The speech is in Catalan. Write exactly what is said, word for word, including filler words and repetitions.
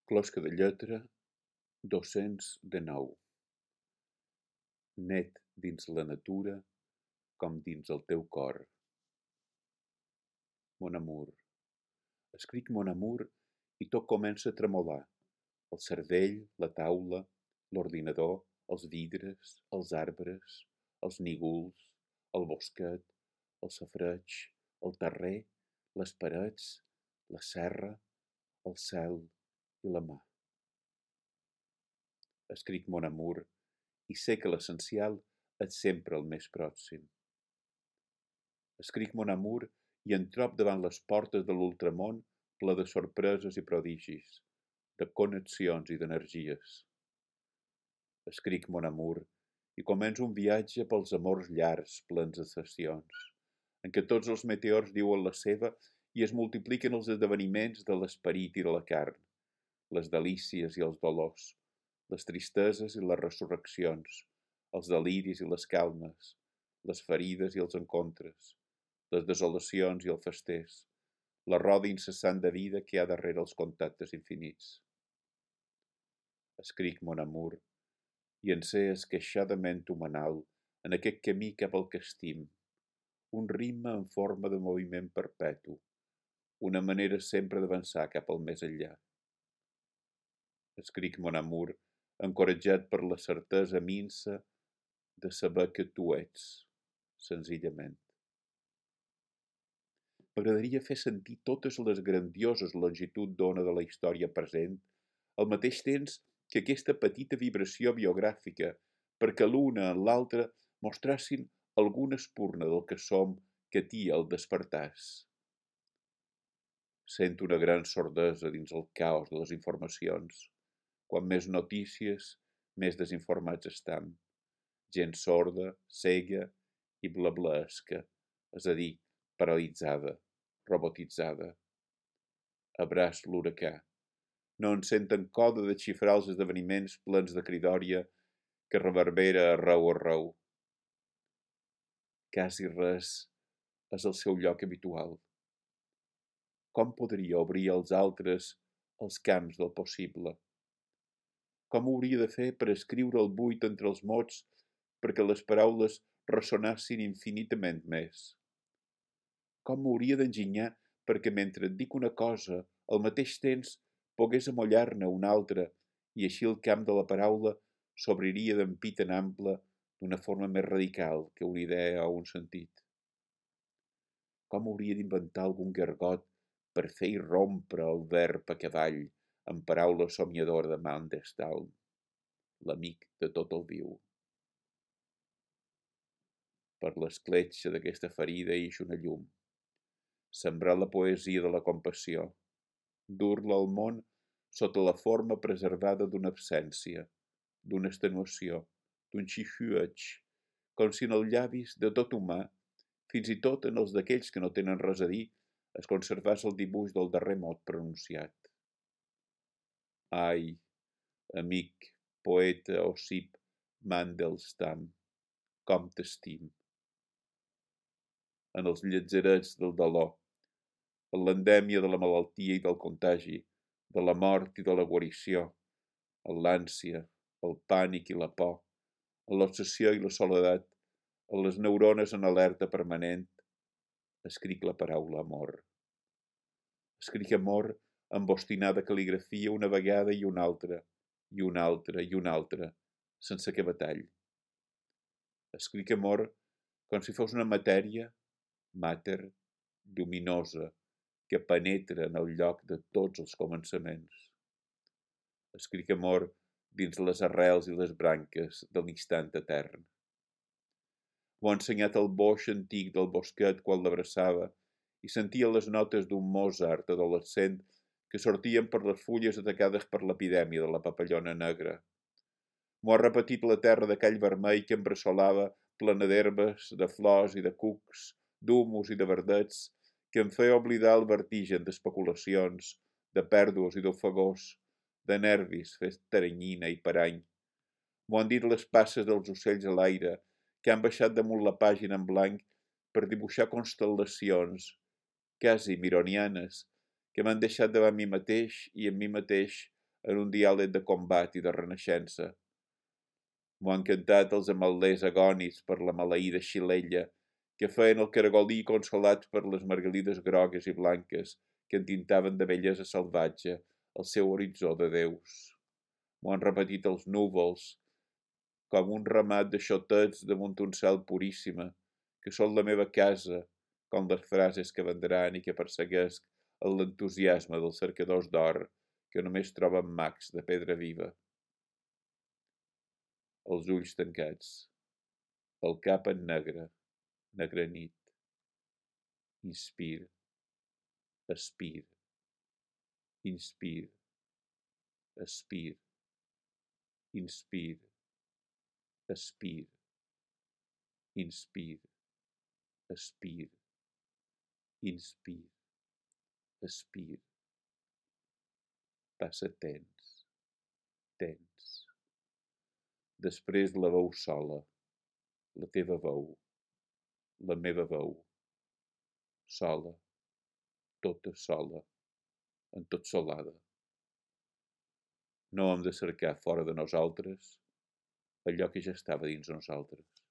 Closca de lletra dos-cents dinou. Net dins la natura com dins el teu cor. Mon amour. Escric mon amour i tot comença a tremolar. El cervell, la taula, l'ordinador, els vidres, els arbres, els nígols, el bosquet, el safareig, el terrer, les parets, la serra, el cel i la mà. Escric mon amour i sé que l'essencial és sempre el més pròxim. Escric mon amour i em trob davant les portes de l'ultramón ple de sorpreses i prodigis, de connexions i d'energies. Escric mon amour i començo un viatge pels amors llargs plens de sessions, en què tots els meteors diuen la seva i es multipliquen els esdeveniments de l'esperit i de la carn, les delícies i els dolors, les tristeses i les resurreccions, els deliris i les calmes, les ferides i els encontres, les desolacions i els festers, la roda incessant de vida que hi ha darrere els contactes infinits. Escric mon amour i en sé esqueixadament humanal en aquest camí cap al que estim, un ritme en forma de moviment perpetu, una manera sempre d'avançar cap al més enllà. Escric mon amour encoratjat per la certesa minsa de saber que tu ets, senzillament. M'agradaria fer sentir totes les grandioses longituds d'ona de la història present, al mateix temps que aquesta petita vibració biogràfica, perquè l'una en l'altra mostrassin alguna espurna del que som que t'hi el despertàs. Sento una gran sordesa dins el caos de les informacions. Quan més notícies, més desinformats estam. Gent sorda, cega i blablaesca, és a dir, paralitzada, robotitzada. Abraç l'huracà. No en senten coda de xifrar els esdeveniments plens de cridòria que reverbera arreu arreu. Quasi res és el seu lloc habitual. Com podria obrir als altres els camps del possible? Com ho hauria de fer per escriure el buit entre els mots perquè les paraules ressonassin infinitament més? Com m'hauria d'enginyar perquè mentre et dic una cosa, al mateix temps pogués amollar-ne una altra i així el camp de la paraula s'obriria d'ampit en ample d'una forma més radical que una idea o un sentit? Com hauria d'inventar algun gargot per fer irrompre el verb a cavall en paraula somiadora de Mandelstam, l'amic de tot el viu? Per l'escletxa d'aquesta ferida ix una llum. Sembrar la poesia de la compassió, dur-la al món sota la forma preservada d'una absència, d'una extenuació, d'un xiuxiueig, com si en els llavis de tot humà, fins i tot en els d'aquells que no tenen res a dir, es conservés el dibuix del darrer mot pronunciat. Ai, amic, poeta Ossip Mandelstam, com t'estim. En els lletzerets del dolor, en l'endèmia de la malaltia i del contagi, de la mort i de la guarició, en l'ànsia, el pànic i la por, en l'obsessió i la soledat, en les neurones en alerta permanent, escric la paraula amor. Escric amor amb obstinada cal·ligrafia una vegada i una altra, i una altra i una altra, sense que batall. Escric amor com si fos una matèria, mater, lluminosa, que penetra en el lloc de tots els començaments. Escric amor dins les arrels i les branques de l'instant etern. M'ho ha ensenyat el boix antic del bosquet quan l'abraçava i sentia les notes d'un Mozart adolescent que sortien per les fulles atacades per l'epidèmia de la papallona negra. M'ho ha repetit la terra d'aquell vermell que em bressolava plena d'herbes, de flors i de cucs, d'humus i de verdets, que em feia oblidar el vertigen d'especulacions, de pèrdues i d'ofegors, de nervis fet teranyina i parany. M'ho han dit les passes dels ocells a l'aire, que han baixat damunt la pàgina en blanc per dibuixar constel·lacions, quasi mironianes, que m'han deixat davant mi mateix i en mi mateix en un diàleg de combat i de renaixença. M'ho han cantat els ametllers agonis per la maleïda xilella, que feien el caragolí consolats per les margalides grogues i blanques que entintaven de bellesa salvatge el seu horitzó de déus. M'ho han repetit els núvols, com un ramat de xotets damunt un cel puríssima, que són la meva casa, com les frases que vendran i que perseguesc en l'entusiasme dels cercadors d'or que només troben mags de pedra viva. Els ulls tancats, el cap en negre, negra nit. Inspir, expir, inspir, expir, inspir, expir, inspir, expir, inspir, expir. Passa tens, tens. Després la veu sola, la teva veu, la meva veu, sola, tota sola, entotsolada. No hem de cercar fora de nosaltres allò que ja estava dins nosaltres.